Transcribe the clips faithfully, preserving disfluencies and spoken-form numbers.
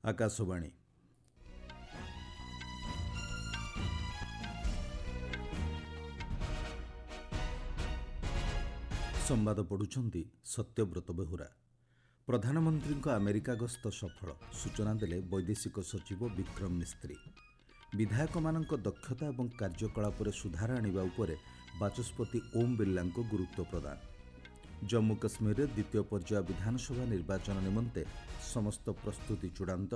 ଆକାଶବାଣୀ। ସମ୍ବାଦ ପଢ଼ୁଛନ୍ତି ସତ୍ୟବ୍ରତ ବେହୁରା। ପ୍ରଧାନମନ୍ତ୍ରୀଙ୍କ ଆମେରିକା ଗସ୍ତ ସଫଳ, ସୂଚନା ଦେଲେ ବୈଦେଶିକ ସଚିବ ବିକ୍ରମ ମିସ୍ତ୍ରୀ। ବିଧାୟକମାନଙ୍କ ଦକ୍ଷତା ଏବଂ କାର୍ଯ୍ୟକଳାପରେ ସୁଧାର ଆଣିବା ଉପରେ ବାଚସ୍ପତି ଓମ୍ ବିର୍ଲାଙ୍କ ଗୁରୁତ୍ୱ ପ୍ରଦାନ। ଜମ୍ମୁ କାଶ୍ମୀରରେ ଦ୍ୱିତୀୟ ପର୍ଯ୍ୟାୟ ବିଧାନସଭା ନିର୍ବାଚନ ନିମନ୍ତେ ସମସ୍ତ ପ୍ରସ୍ତୁତି ଚୂଡ଼ାନ୍ତ।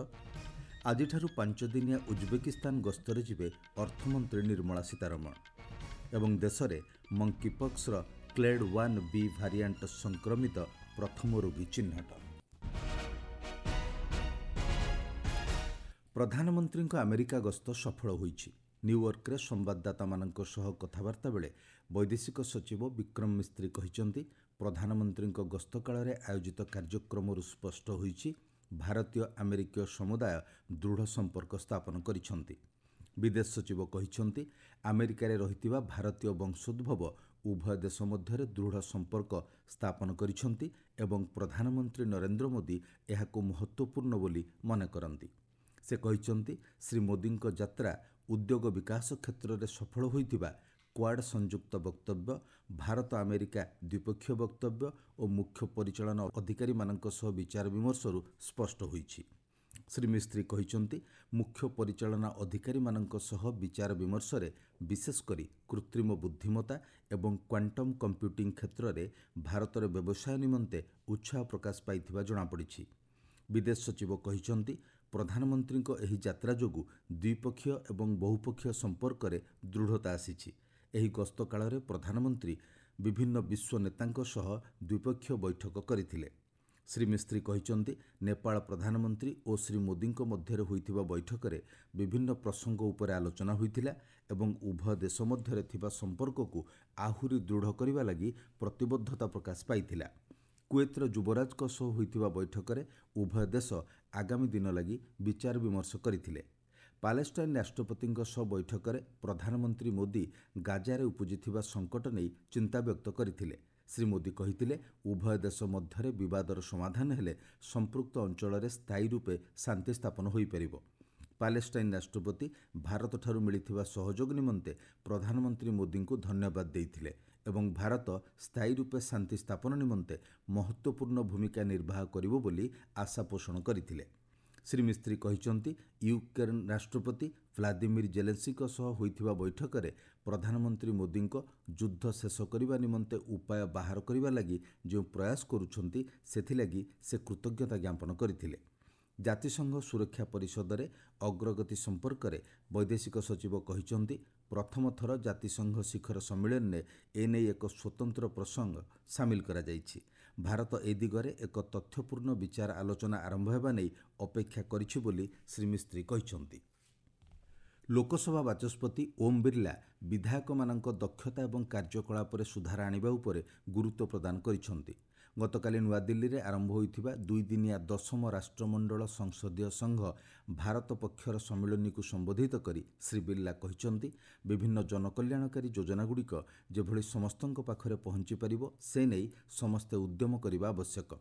ଆଜିଠାରୁ ପାଞ୍ଚଦିନିଆ ଉଜବେକିସ୍ତାନ ଗସ୍ତରେ ଯିବେ ଅର୍ଥମନ୍ତ୍ରୀ ନିର୍ମଳା ସୀତାରମଣ। ଏବଂ ଦେଶରେ ମଙ୍କିପକ୍ସର କ୍ଲେଡ୍ ୱାନ୍ ବି ଭାରିଆଣ୍ଟ ସଂକ୍ରମିତ ପ୍ରଥମ ରୋଗୀ ଚିହ୍ନଟ। ପ୍ରଧାନମନ୍ତ୍ରୀଙ୍କ ଆମେରିକା ଗସ୍ତ ସଫଳ ହୋଇଛି। ନ୍ୟୁୟର୍କରେ ସମ୍ବାଦଦାତାମାନଙ୍କ ସହ କଥାବାର୍ତ୍ତା ବେଳେ ବୈଦେଶିକ ସଚିବ ବିକ୍ରମ ମିସ୍ତ୍ରୀ କହିଛନ୍ତି, ପ୍ରଧାନମନ୍ତ୍ରୀଙ୍କ ଗସ୍ତ କାଳରେ ଆୟୋଜିତ କାର୍ଯ୍ୟକ୍ରମରୁ ସ୍ପଷ୍ଟ ହୋଇଛି ଭାରତୀୟ ଆମେରିକୀୟ ସମୁଦାୟ ଦୃଢ଼ ସମ୍ପର୍କ ସ୍ଥାପନ କରିଛନ୍ତି। ବିଦେଶ ସଚିବ କହିଛନ୍ତି, ଆମେରିକାରେ ରହିଥିବା ଭାରତୀୟ ବଂଶୋଦ୍ଭବ ଉଭୟ ଦେଶ ମଧ୍ୟରେ ଦୃଢ଼ ସମ୍ପର୍କ ସ୍ଥାପନ କରିଛନ୍ତି ଏବଂ ପ୍ରଧାନମନ୍ତ୍ରୀ ନରେନ୍ଦ୍ର ମୋଦି ଏହାକୁ ମହତ୍ତ୍ୱପୂର୍ଣ୍ଣ ବୋଲି ମନେ କରନ୍ତି। ସେ କହିଛନ୍ତି, ଶ୍ରୀ ମୋଦିଙ୍କ ଯାତ୍ରା ଉଦ୍ୟୋଗ ବିକାଶ କ୍ଷେତ୍ରରେ ସଫଳ ହୋଇଥିବା କ୍ୱାଡ୍ ସଂଯୁକ୍ତ ବକ୍ତବ୍ୟ, ଭାରତ ଆମେରିକା ଦ୍ୱିପକ୍ଷୀୟ ବକ୍ତବ୍ୟ ଓ ମୁଖ୍ୟ ପରିଚାଳନା ଅଧିକାରୀମାନଙ୍କ ସହ ବିଚାର ବିମର୍ଶରୁ ସ୍ପଷ୍ଟ ହୋଇଛି। ଶ୍ରୀ ମିସ୍ତ୍ରୀ କହିଛନ୍ତି, ମୁଖ୍ୟ ପରିଚାଳନା ଅଧିକାରୀମାନଙ୍କ ସହ ବିଚାର ବିମର୍ଶରେ ବିଶେଷ କରି କୃତ୍ରିମ ବୁଦ୍ଧିମତ୍ତା ଏବଂ କ୍ୱାଣ୍ଟମ୍ କମ୍ପ୍ୟୁଟିଂ କ୍ଷେତ୍ରରେ ଭାରତରେ ବ୍ୟବସାୟ ନିମନ୍ତେ ଉତ୍ସାହ ପ୍ରକାଶ ପାଇଥିବା ଜଣାପଡ଼ିଛି। ବିଦେଶ ସଚିବ କହିଛନ୍ତି, ପ୍ରଧାନମନ୍ତ୍ରୀଙ୍କ ଏହି ଯାତ୍ରା ଯୋଗୁଁ ଦ୍ୱିପକ୍ଷୀୟ ଏବଂ ବହୁପକ୍ଷୀୟ ସମ୍ପର୍କରେ ଦୃଢ଼ତା ଆସିଛି। ଏହି ଗସ୍ତ କାଳରେ ପ୍ରଧାନମନ୍ତ୍ରୀ ବିଭିନ୍ନ ବିଶ୍ୱ ନେତାଙ୍କ ସହ ଦ୍ୱିପକ୍ଷୀୟ ବୈଠକ କରିଥିଲେ। ଶ୍ରୀ ମିସ୍ତ୍ରୀ କହିଛନ୍ତି, ନେପାଳ ପ୍ରଧାନମନ୍ତ୍ରୀ ଓ ଶ୍ରୀ ମୋଦିଙ୍କ ମଧ୍ୟରେ ହୋଇଥିବା ବୈଠକରେ ବିଭିନ୍ନ ପ୍ରସଙ୍ଗ ଉପରେ ଆଲୋଚନା ହୋଇଥିଲା ଏବଂ ଉଭୟ ଦେଶ ମଧ୍ୟରେ ଥିବା ସମ୍ପର୍କକୁ ଆହୁରି ଦୃଢ଼ କରିବା ଲାଗି ପ୍ରତିବଦ୍ଧତା ପ୍ରକାଶ ପାଇଥିଲା। କୁଏତ୍ର ଯୁବରାଜଙ୍କ ସହ ହୋଇଥିବା ବୈଠକରେ ଉଭୟ ଦେଶ ଆଗାମୀ ଦିନ ଲାଗି ବିଚାର ବିମର୍ଶ କରିଥିଲେ। ପାଲେଷ୍ଟାଇନ୍ ରାଷ୍ଟ୍ରପତିଙ୍କ ସହ ବୈଠକରେ ପ୍ରଧାନମନ୍ତ୍ରୀ ମୋଦି ଗାଜାରେ ଉପୁଜିଥିବା ସଙ୍କଟ ନେଇ ଚିନ୍ତା ବ୍ୟକ୍ତ କରିଥିଲେ। ଶ୍ରୀ ମୋଦି କହିଥିଲେ, ଉଭୟ ଦେଶ ମଧ୍ୟରେ ବିବାଦର ସମାଧାନ ହେଲେ ସମ୍ପୃକ୍ତ ଅଞ୍ଚଳରେ ସ୍ଥାୟୀ ରୂପେ ଶାନ୍ତି ସ୍ଥାପନ ହୋଇପାରିବ। ପାଲେଷ୍ଟାଇନ୍ ରାଷ୍ଟ୍ରପତି ଭାରତଠାରୁ ମିଳିଥିବା ସହଯୋଗ ନିମନ୍ତେ ପ୍ରଧାନମନ୍ତ୍ରୀ ମୋଦିଙ୍କୁ ଧନ୍ୟବାଦ ଦେଇଥିଲେ ଏବଂ ଭାରତ ସ୍ଥାୟୀ ରୂପେ ଶାନ୍ତି ସ୍ଥାପନ ନିମନ୍ତେ ମହତ୍ତ୍ୱପୂର୍ଣ୍ଣ ଭୂମିକା ନିର୍ବାହ କରିବ ବୋଲି ଆଶା ପୋଷଣ କରିଥିଲେ। ଶ୍ରୀ ମିସ୍ତ୍ରୀ କହିଛନ୍ତି, ୟୁକ୍ରେନ୍ ରାଷ୍ଟ୍ରପତି ଭ୍ଲାଦିମିର ଜେଲେନ୍ସ୍କିଙ୍କ ସହ ହୋଇଥିବା ବୈଠକରେ ପ୍ରଧାନମନ୍ତ୍ରୀ ମୋଦିଙ୍କ ଯୁଦ୍ଧ ଶେଷ କରିବା ନିମନ୍ତେ ଉପାୟ ବାହାର କରିବା ଲାଗି ଯେଉଁ ପ୍ରୟାସ କରୁଛନ୍ତି ସେଥିଲାଗି ସେ କୃତଜ୍ଞତା ଜ୍ଞାପନ କରିଥିଲେ। ଜାତିସଂଘ ସୁରକ୍ଷା ପରିଷଦରେ ଅଗ୍ରଗତି ସମ୍ପର୍କରେ ବୈଦେଶିକ ସଚିବ କହିଛନ୍ତି, ପ୍ରଥମ ଥର ଜାତିସଂଘ ଶିଖର ସମ୍ମିଳନୀରେ ଏନେଇ ଏକ ସ୍ୱତନ୍ତ୍ର ପ୍ରସଙ୍ଗ ସାମିଲ କରାଯାଇଛି। ଭାରତ ଏ ଦିଗରେ ଏକ ତଥ୍ୟପୂର୍ଣ୍ଣ ବିଚାର ଆଲୋଚନା ଆରମ୍ଭ ହେବା ନେଇ ଅପେକ୍ଷା କରିଛି ବୋଲି ଶ୍ରୀ ମିସ୍ତ୍ରୀ କହିଛନ୍ତି। ଲୋକସଭା ବାଚସ୍ପତି ଓମ୍ ବିର୍ଲା ବିଧାୟକମାନଙ୍କ ଦକ୍ଷତା ଏବଂ କାର୍ଯ୍ୟକଳାପରେ ସୁଧାର ଆଣିବା ଉପରେ ଗୁରୁତ୍ୱ ପ୍ରଦାନ କରିଛନ୍ତି। ଗତକାଲି ନୂଆଦିଲ୍ଲୀରେ ଆରମ୍ଭ ହୋଇଥିବା ଦୁଇଦିନିଆ ଦଶମ ରାଷ୍ଟ୍ରମଣ୍ଡଳ ସଂସଦୀୟ ସଂଘ ଭାରତ ପକ୍ଷର ସମ୍ମିଳନୀକୁ ସମ୍ବୋଧିତ କରି ଶ୍ରୀ ବିର୍ଲା କହିଛନ୍ତି, ବିଭିନ୍ନ ଜନକଲ୍ୟାଣକାରୀ ଯୋଜନାଗୁଡ଼ିକ ଯେଭଳି ସମସ୍ତଙ୍କ ପାଖରେ ପହଞ୍ଚିପାରିବ ସେ ନେଇ ସମସ୍ତେ ଉଦ୍ୟମ କରିବା ଆବଶ୍ୟକ।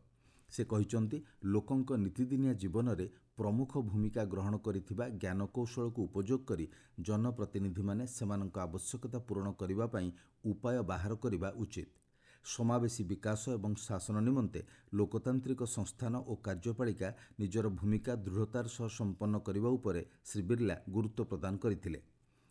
ସେ କହିଛନ୍ତି, ଲୋକଙ୍କ ନିତିଦିନିଆ ଜୀବନରେ ପ୍ରମୁଖ ଭୂମିକା ଗ୍ରହଣ କରିଥିବା ଜ୍ଞାନକୌଶଳକୁ ଉପଯୋଗ କରି ଜନପ୍ରତିନିଧିମାନେ ସେମାନଙ୍କ ଆବଶ୍ୟକତା ପୂରଣ କରିବା ପାଇଁ ଉପାୟ ବାହାର କରିବା ଉଚିତ। ସମାବେଶୀ ବିକାଶ ଏବଂ ଶାସନ ନିମନ୍ତେ ଲୋକତାନ୍ତ୍ରିକ ସଂସ୍ଥାନ ଓ କାର୍ଯ୍ୟପାଳିକା ନିଜର ଭୂମିକା ଦୃଢ଼ତାର ସହ ସମ୍ପନ୍ନ କରିବା ଉପରେ ଶ୍ରୀ ବିର୍ଲା ଗୁରୁତ୍ୱ ପ୍ରଦାନ କରିଥିଲେ।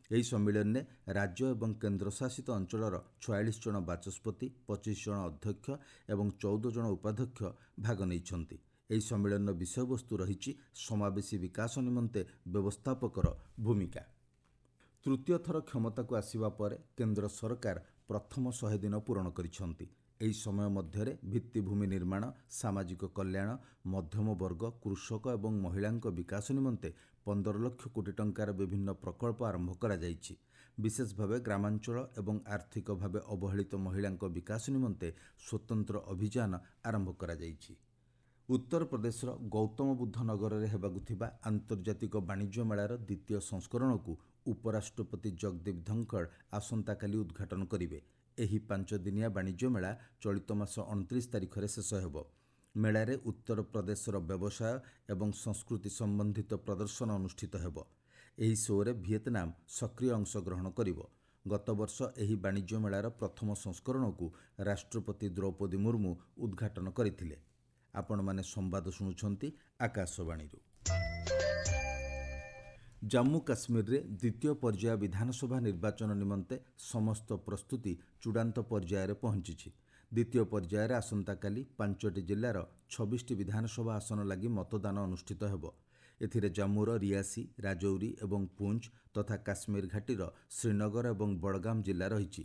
ଏହି ସମ୍ମିଳନୀରେ ରାଜ୍ୟ ଏବଂ କେନ୍ଦ୍ରଶାସିତ ଅଞ୍ଚଳର ଛୟାଳିଶ ଜଣ ବାଚସ୍ପତି, ପଚିଶ ଜଣ ଅଧ୍ୟକ୍ଷ ଏବଂ ଚଉଦ ଜଣ ଉପାଧ୍ୟକ୍ଷ ଭାଗ ନେଇଛନ୍ତି। ଏହି ସମ୍ମିଳନୀର ବିଷୟବସ୍ତୁ ରହିଛି ସମାବେଶୀ ବିକାଶ ନିମନ୍ତେ ବ୍ୟବସ୍ଥାପକର ଭୂମିକା। ତୃତୀୟ ଥର କ୍ଷମତାକୁ ଆସିବା ପରେ କେନ୍ଦ୍ର ସରକାର ପ୍ରଥମ ଶହେ ଦିନ ପୂରଣ କରିଛନ୍ତି। ଏହି ସମୟ ମଧ୍ୟରେ ଭିତ୍ତିଭୂମି ନିର୍ମାଣ, ସାମାଜିକ କଲ୍ୟାଣ, ମଧ୍ୟମ ବର୍ଗ, କୃଷକ ଏବଂ ମହିଳାଙ୍କ ବିକାଶ ନିମନ୍ତେ ପନ୍ଦର ଲକ୍ଷ କୋଟି ଟଙ୍କାର ବିଭିନ୍ନ ପ୍ରକଳ୍ପ ଆରମ୍ଭ କରାଯାଇଛି। ବିଶେଷ ଭାବେ ଗ୍ରାମାଞ୍ଚଳ ଏବଂ ଆର୍ଥିକ ଭାବେ ଅବହେଳିତ ମହିଳାଙ୍କ ବିକାଶ ନିମନ୍ତେ ସ୍ୱତନ୍ତ୍ର ଅଭିଯାନ ଆରମ୍ଭ କରାଯାଇଛି। ଉତ୍ତରପ୍ରଦେଶର ଗୌତମ ବୁଦ୍ଧ ନଗରରେ ହେବାକୁ ଥିବା ଆନ୍ତର୍ଜାତିକ ବାଣିଜ୍ୟ ମେଳାର ଦ୍ୱିତୀୟ ସଂସ୍କରଣକୁ ଉପରାଷ୍ଟ୍ରପତି ଜଗଦୀପ ଧନଖଡ଼ ଆସନ୍ତାକାଲି ଉଦ୍ଘାଟନ କରିବେ। ଏହି ପାଞ୍ଚ ଦିନିଆ ବାଣିଜ୍ୟ ମେଳା ଚଳିତ ମାସ ଅଣତିରିଶ ତାରିଖରେ ଶେଷ ହେବ। ମେଳାରେ ଉତ୍ତରପ୍ରଦେଶର ବ୍ୟବସାୟ ଏବଂ ସଂସ୍କୃତି ସମ୍ବନ୍ଧିତ ପ୍ରଦର୍ଶନ ଅନୁଷ୍ଠିତ ହେବ। ଏହି ଶୋରେ ଭିଏତନାମ ସକ୍ରିୟ ଅଂଶଗ୍ରହଣ କରିବ। ଗତବର୍ଷ ଏହି ବାଣିଜ୍ୟ ମେଳାର ପ୍ରଥମ ସଂସ୍କରଣକୁ ରାଷ୍ଟ୍ରପତି ଦ୍ରୌପଦୀ ମୁର୍ମୁ ଉଦ୍ଘାଟନ କରିଥିଲେ। ଆପଣମାନେ ସମ୍ବାଦ ଶୁଣୁଛନ୍ତି ଆକାଶବାଣୀରୁ। ଜାମ୍ମୁ କାଶ୍ମୀରରେ ଦ୍ୱିତୀୟ ପର୍ଯ୍ୟାୟ ବିଧାନସଭା ନିର୍ବାଚନ ନିମନ୍ତେ ସମସ୍ତ ପ୍ରସ୍ତୁତି ଚୂଡ଼ାନ୍ତ ପର୍ଯ୍ୟାୟରେ ପହଞ୍ଚିଛି। ଦ୍ୱିତୀୟ ପର୍ଯ୍ୟାୟରେ ଆସନ୍ତାକାଲି ପାଞ୍ଚଟି ଜିଲ୍ଲାର ଛବିଶଟି ବିଧାନସଭା ଆସନ ଲାଗି ମତଦାନ ଅନୁଷ୍ଠିତ ହେବ। ଏଥିରେ ଜାମ୍ମୁର ରିଆସି, ରାଜୌରୀ ଏବଂ ପୁଞ୍ଚ ତଥା କାଶ୍ମୀର ଘାଟିର ଶ୍ରୀନଗର ଏବଂ ବଡ଼ଗାମ ଜିଲ୍ଲା ରହିଛି।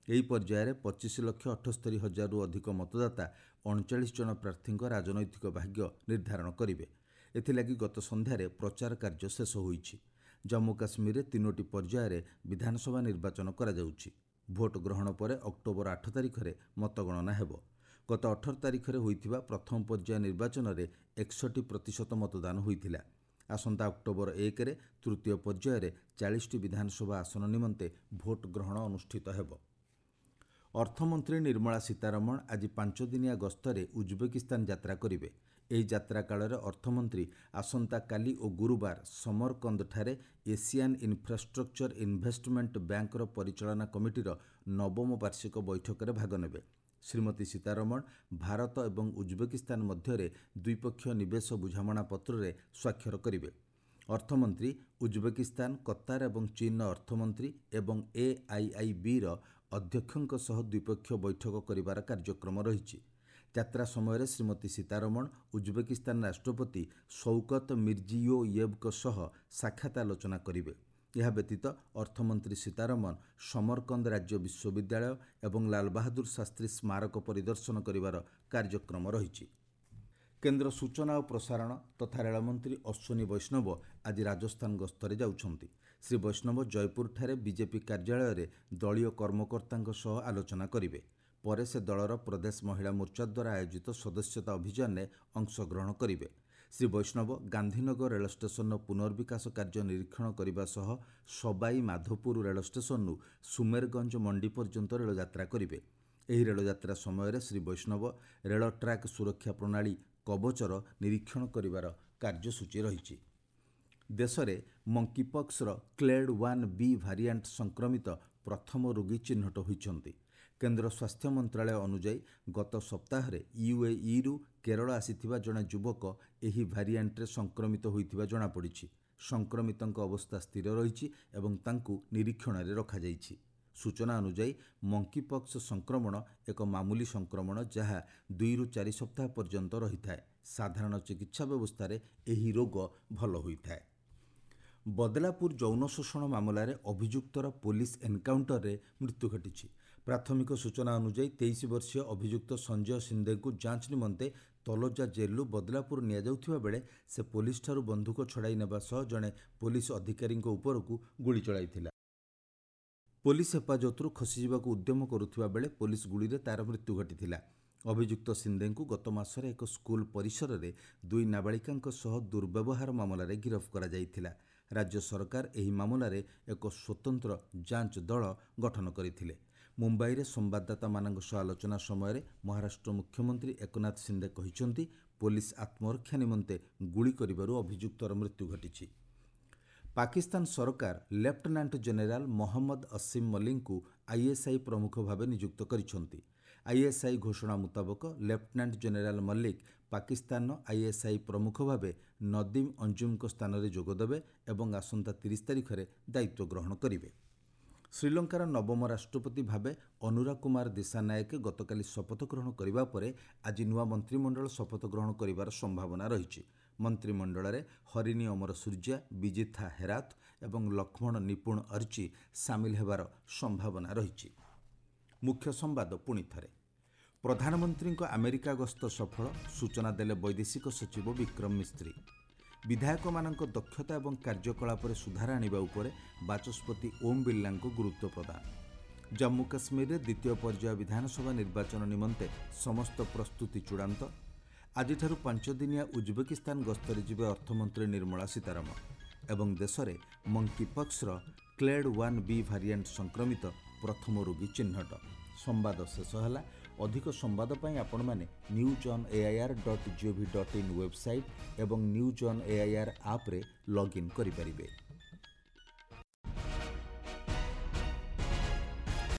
ଏହି ପର୍ଯ୍ୟାୟରେ ପଚିଶ ଲକ୍ଷ ଅଠସ୍ତରୀ ହଜାରରୁ ଅଧିକ ମତଦାତା ଅଣଚାଳିଶ ଜଣ ପ୍ରାର୍ଥୀଙ୍କ ରାଜନୈତିକ ଭାଗ୍ୟ ନିର୍ଦ୍ଧାରଣ କରିବେ। ଏଥିଲାଗି ଗତ ସନ୍ଧ୍ୟାରେ ପ୍ରଚାର କାର୍ଯ୍ୟ ଶେଷ ହୋଇଛି। ଜାମ୍ମୁ କାଶ୍ମୀରରେ ତିନୋଟି ପର୍ଯ୍ୟାୟରେ ବିଧାନସଭା ନିର୍ବାଚନ କରାଯାଉଛି। ଭୋଟ ଗ୍ରହଣ ପରେ ଅକ୍ଟୋବର ଆଠ ତାରିଖରେ ମତଗଣନା ହେବ। ଗତ ଅଠର ତାରିଖରେ ହୋଇଥିବା ପ୍ରଥମ ପର୍ଯ୍ୟାୟ ନିର୍ବାଚନରେ ଏକଷଠି ପ୍ରତିଶତ ମତଦାନ ହୋଇଥିଲା। ଆସନ୍ତା ଅକ୍ଟୋବର ଏକରେ ତୃତୀୟ ପର୍ଯ୍ୟାୟରେ ଚାଳିଶଟି ବିଧାନସଭା ଆସନ ନିମନ୍ତେ ଭୋଟ ଗ୍ରହଣ ଅନୁଷ୍ଠିତ ହେବ। ଅର୍ଥମନ୍ତ୍ରୀ ନିର୍ମଳା ସୀତାରମଣ ଆଜି ପାଞ୍ଚଦିନିଆ ଗସ୍ତରେ ଉଜବେକିସ୍ତାନ ଯାତ୍ରା କରିବେ। ଏହି ଯାତ୍ରା କାଳରେ ଅର୍ଥମନ୍ତ୍ରୀ ଆସନ୍ତାକାଲି ଓ ଗୁରୁବାର ସମରକନ୍ଦଠାରେ ଏସିଆନ୍ ଇନଫ୍ରାଷ୍ଟ୍ରକ୍ଚର ଇନଭେଷ୍ଟମେଣ୍ଟ ବ୍ୟାଙ୍କର ପରିଚାଳନା କମିଟିର ନବମ ବାର୍ଷିକ ବୈଠକରେ ଭାଗ ନେବେ। ଶ୍ରୀମତୀ ସୀତାରମଣ ଭାରତ ଏବଂ ଉଜବେକିସ୍ତାନ ମଧ୍ୟରେ ଦ୍ୱିପକ୍ଷୀୟ ନିବେଶ ବୁଝାମଣାପତ୍ରରେ ସ୍ୱାକ୍ଷର କରିବେ। ଅର୍ଥମନ୍ତ୍ରୀ ଉଜବେକିସ୍ତାନ, କତାର ଏବଂ ଚୀନର ଅର୍ଥମନ୍ତ୍ରୀ ଏବଂ ଏଆଇଆଇବିର ଅଧ୍ୟକ୍ଷଙ୍କ ସହ ଦ୍ୱିପକ୍ଷୀୟ ବୈଠକ କରିବାର କାର୍ଯ୍ୟକ୍ରମ ରହିଛି। ଯାତ୍ରା ସମୟରେ ଶ୍ରୀମତୀ ସୀତାରମଣ ଉଜବେକିସ୍ତାନ ରାଷ୍ଟ୍ରପତି ଶୌକତ ମିର୍ଜିୟୋୟେବଙ୍କ ସହ ସାକ୍ଷାତ ଆଲୋଚନା କରିବେ। ଏହା ବ୍ୟତୀତ ଅର୍ଥମନ୍ତ୍ରୀ ସୀତାରମଣ ସମରକନ୍ଦ ରାଜ୍ୟ ବିଶ୍ୱବିଦ୍ୟାଳୟ ଏବଂ ଲାଲବାହାଦୁର ଶାସ୍ତ୍ରୀ ସ୍ମାରକ ପରିଦର୍ଶନ କରିବାର କାର୍ଯ୍ୟକ୍ରମ ରହିଛି। କେନ୍ଦ୍ର ସୂଚନା ଓ ପ୍ରସାରଣ ତଥା ରେଳମନ୍ତ୍ରୀ ଅଶ୍ୱିନୀ ବୈଷ୍ଣବ ଆଜି ରାଜସ୍ଥାନ ଗସ୍ତରେ ଯାଉଛନ୍ତି। ଶ୍ରୀ ବୈଷ୍ଣବ ଜୟପୁରଠାରେ ବିଜେପି କାର୍ଯ୍ୟାଳୟରେ ଦଳୀୟ କର୍ମକର୍ତ୍ତାଙ୍କ ସହ ଆଲୋଚନା କରିବେ। ପରେ ସେ ଦଳର ପ୍ରଦେଶ ମହିଳା ମୋର୍ଚ୍ଚା ଦ୍ୱାରା ଆୟୋଜିତ ସଦସ୍ୟତା ଅଭିଯାନରେ ଅଂଶଗ୍ରହଣ କରିବେ। ଶ୍ରୀ ବୈଷ୍ଣବ ଗାନ୍ଧୀନଗର ରେଳ ଷ୍ଟେସନର ପୁନର୍ବିକାଶ କାର୍ଯ୍ୟ ନିରୀକ୍ଷଣ କରିବା ସହ ସବାଇ ମାଧୋପୁର ରେଳ ଷ୍ଟେସନରୁ ସୁମେରଗଞ୍ଜ ମଣ୍ଡି ପର୍ଯ୍ୟନ୍ତ ରେଳଯାତ୍ରା କରିବେ। ଏହି ରେଳଯାତ୍ରା ସମୟରେ ଶ୍ରୀ ବୈଷ୍ଣବ ରେଳ ଟ୍ରାକ୍ ସୁରକ୍ଷା ପ୍ରଣାଳୀ କବଚର ନିରୀକ୍ଷଣ କରିବାର କାର୍ଯ୍ୟସୂଚୀ ରହିଛି। ଦେଶରେ ମଙ୍କିପକ୍ସର କ୍ଲେଡ୍ ୱାନ୍ ବି ଭାରିଆଣ୍ଟ ସଂକ୍ରମିତ ପ୍ରଥମ ରୋଗୀ ଚିହ୍ନଟ ହୋଇଛନ୍ତି। କେନ୍ଦ୍ର ସ୍ୱାସ୍ଥ୍ୟ ମନ୍ତ୍ରାଳୟ ଅନୁଯାୟୀ ଗତ ସପ୍ତାହରେ ୟୁଏଇରୁ କେରଳ ଆସିଥିବା ଜଣେ ଯୁବକ ଏହି ଭାରିଆଣ୍ଟରେ ସଂକ୍ରମିତ ହୋଇଥିବା ଜଣାପଡ଼ିଛି। ସଂକ୍ରମିତଙ୍କ ଅବସ୍ଥା ସ୍ଥିର ରହିଛି ଏବଂ ତାଙ୍କୁ ନିରୀକ୍ଷଣରେ ରଖାଯାଇଛି। ସୂଚନା ଅନୁଯାୟୀ ମଙ୍କିପକ୍ସ ସଂକ୍ରମଣ ଏକ ମାମୁଲି ସଂକ୍ରମଣ, ଯାହା ଦୁଇରୁ ଚାରି ସପ୍ତାହ ପର୍ଯ୍ୟନ୍ତ ରହିଥାଏ। ସାଧାରଣ ଚିକିତ୍ସା ବ୍ୟବସ୍ଥାରେ ଏହି ରୋଗ ଭଲ ହୋଇଥାଏ। ବଦଲାପୁର ଯୌନ ଶୋଷଣ ମାମଲାରେ ଅଭିଯୁକ୍ତର ପୋଲିସ ଏନ୍କାଉଣ୍ଟରରେ ମୃତ୍ୟୁ ଘଟିଛି। ପ୍ରାଥମିକ ସୂଚନା ଅନୁଯାୟୀ ତେଇଶ ବର୍ଷୀୟ ଅଭିଯୁକ୍ତ ସଞ୍ଜୟ ସିନ୍ଦେଙ୍କୁ ଯାଞ୍ଚ ନିମନ୍ତେ ତଲୋଜା ଜେଲ୍ରୁ ବଦଲାପୁର ନିଆଯାଉଥିବା ବେଳେ ସେ ପୋଲିସଠାରୁ ବନ୍ଧୁକ ଛଡ଼ାଇ ନେବା ସହ ଜଣେ ପୋଲିସ ଅଧିକାରୀଙ୍କ ଉପରକୁ ଗୁଳି ଚଳାଇଥିଲା। ପୋଲିସ ହେଫାଜତରୁ ଖସିଯିବାକୁ ଉଦ୍ୟମ କରୁଥିବା ବେଳେ ପୋଲିସ ଗୁଳିରେ ତା'ର ମୃତ୍ୟୁ ଘଟିଥିଲା। ଅଭିଯୁକ୍ତ ସିନ୍ଦେଙ୍କୁ ଗତ ମାସରେ ଏକ ସ୍କୁଲ ପରିସରରେ ଦୁଇ ନାବାଳିକାଙ୍କ ସହ ଦୁର୍ବ୍ୟବହାର ମାମଲାରେ ଗିରଫ କରାଯାଇଥିଲା। ରାଜ୍ୟ ସରକାର ଏହି ମାମଲାରେ ଏକ ସ୍ୱତନ୍ତ୍ର ଯାଞ୍ଚ ଦଳ ଗଠନ କରିଥିଲେ। ମୁମ୍ବାଇରେ ସମ୍ବାଦଦାତାମାନଙ୍କ ସହ ଆଲୋଚନା ସମୟରେ ମହାରାଷ୍ଟ୍ର ମୁଖ୍ୟମନ୍ତ୍ରୀ ଏକନାଥ ସିନ୍ଦେ କହିଛନ୍ତି, ପୋଲିସ ଆତ୍ମରକ୍ଷା ନିମନ୍ତେ ଗୁଳି କରିବାରୁ ଅଭିଯୁକ୍ତର ମୃତ୍ୟୁ ଘଟିଛି। ପାକିସ୍ତାନ ସରକାର ଲେଫ୍ଟନାଣ୍ଟ ଜେନେରାଲ ମହମ୍ମଦ ଅସିମ ମଲିକଙ୍କୁ ଆଇଏସ୍ଆଇ ପ୍ରମୁଖ ଭାବେ ନିଯୁକ୍ତ କରିଛନ୍ତି। ଆଇଏସ୍ଆଇ ଘୋଷଣା ମୁତାବକ ଲେଫ୍ଟନାଣ୍ଟ ଜେନେରାଲ ମଲ୍ଲିକ ପାକିସ୍ତାନର ଆଇଏସ୍ଆଇ ପ୍ରମୁଖ ଭାବେ ନଦୀମ ଅଞ୍ଜୁମଙ୍କ ସ୍ଥାନରେ ଯୋଗଦେବେ ଏବଂ ଆସନ୍ତା ତିରିଶ ତାରିଖରେ ଦାୟିତ୍ୱ ଗ୍ରହଣ କରିବେ। ଶ୍ରୀଲଙ୍କାର ନବମ ରାଷ୍ଟ୍ରପତି ଭାବେ ଅନୁରା କୁମାର ଦିଶାନାୟକେ ଗତକାଲି ଶପଥ ଗ୍ରହଣ କରିବା ପରେ ଆଜି ନୂଆ ମନ୍ତ୍ରିମଣ୍ଡଳ ଶପଥ ଗ୍ରହଣ କରିବାର ସମ୍ଭାବନା ରହିଛି। ମନ୍ତ୍ରିମଣ୍ଡଳରେ ହରିଣୀ ଅମରସୂର୍ଯ୍ୟା, ବିଜିଥା ହେରାଥ ଏବଂ ଲକ୍ଷ୍ମଣ ନିପୁଣ ଅର୍ଚି ସାମିଲ ହେବାର ସମ୍ଭାବନା ରହିଛି। ମୁଖ୍ୟ ସମ୍ବାଦ ପୁଣି ଥରେ। ପ୍ରଧାନମନ୍ତ୍ରୀଙ୍କ ଆମେରିକା ଗସ୍ତ ସଫଳ, ସୂଚନା ଦେଲେ ବୈଦେଶିକ ସଚିବ ବିକ୍ରମ ମିସ୍ତ୍ରୀ। ବିଧାୟକମାନଙ୍କ ଦକ୍ଷତା ଏବଂ କାର୍ଯ୍ୟକଳାପରେ ସୁଧାର ଆଣିବା ଉପରେ ବାଚସ୍ପତି ଓମ୍ ବିର୍ଲାଙ୍କୁ ଗୁରୁତ୍ୱ ପ୍ରଦାନ। ଜାମ୍ମୁ କାଶ୍ମୀରରେ ଦ୍ୱିତୀୟ ପର୍ଯ୍ୟାୟ ବିଧାନସଭା ନିର୍ବାଚନ ନିମନ୍ତେ ସମସ୍ତ ପ୍ରସ୍ତୁତି ଚୂଡ଼ାନ୍ତ। ଆଜିଠାରୁ ପାଞ୍ଚଦିନିଆ ଉଜବେକିସ୍ତାନ ଗସ୍ତରେ ଯିବେ ଅର୍ଥମନ୍ତ୍ରୀ ନିର୍ମଳା ସୀତାରମଣ। ଏବଂ ଦେଶରେ ମଙ୍କିପକ୍ସର କ୍ଲେଡ୍ ୱାନ୍ ବି ଭାରିଆଣ୍ଟ ସଂକ୍ରମିତ ପ୍ରଥମ ରୋଗୀ ଚିହ୍ନଟ। ସମ୍ବାଦ ଶେଷ ହେଲା। ଅଧିକ ସମ୍ବାଦ ପାଇଁ ଆପଣମାନେ news on AIR dot gov dot in website ଏବଂ ନ୍ୟୁଜ୍ ଅନ୍ ଏଆଇଆର୍ ଆପ୍ରେ ଲଗ୍ଇନ୍ କରିପାରିବେ।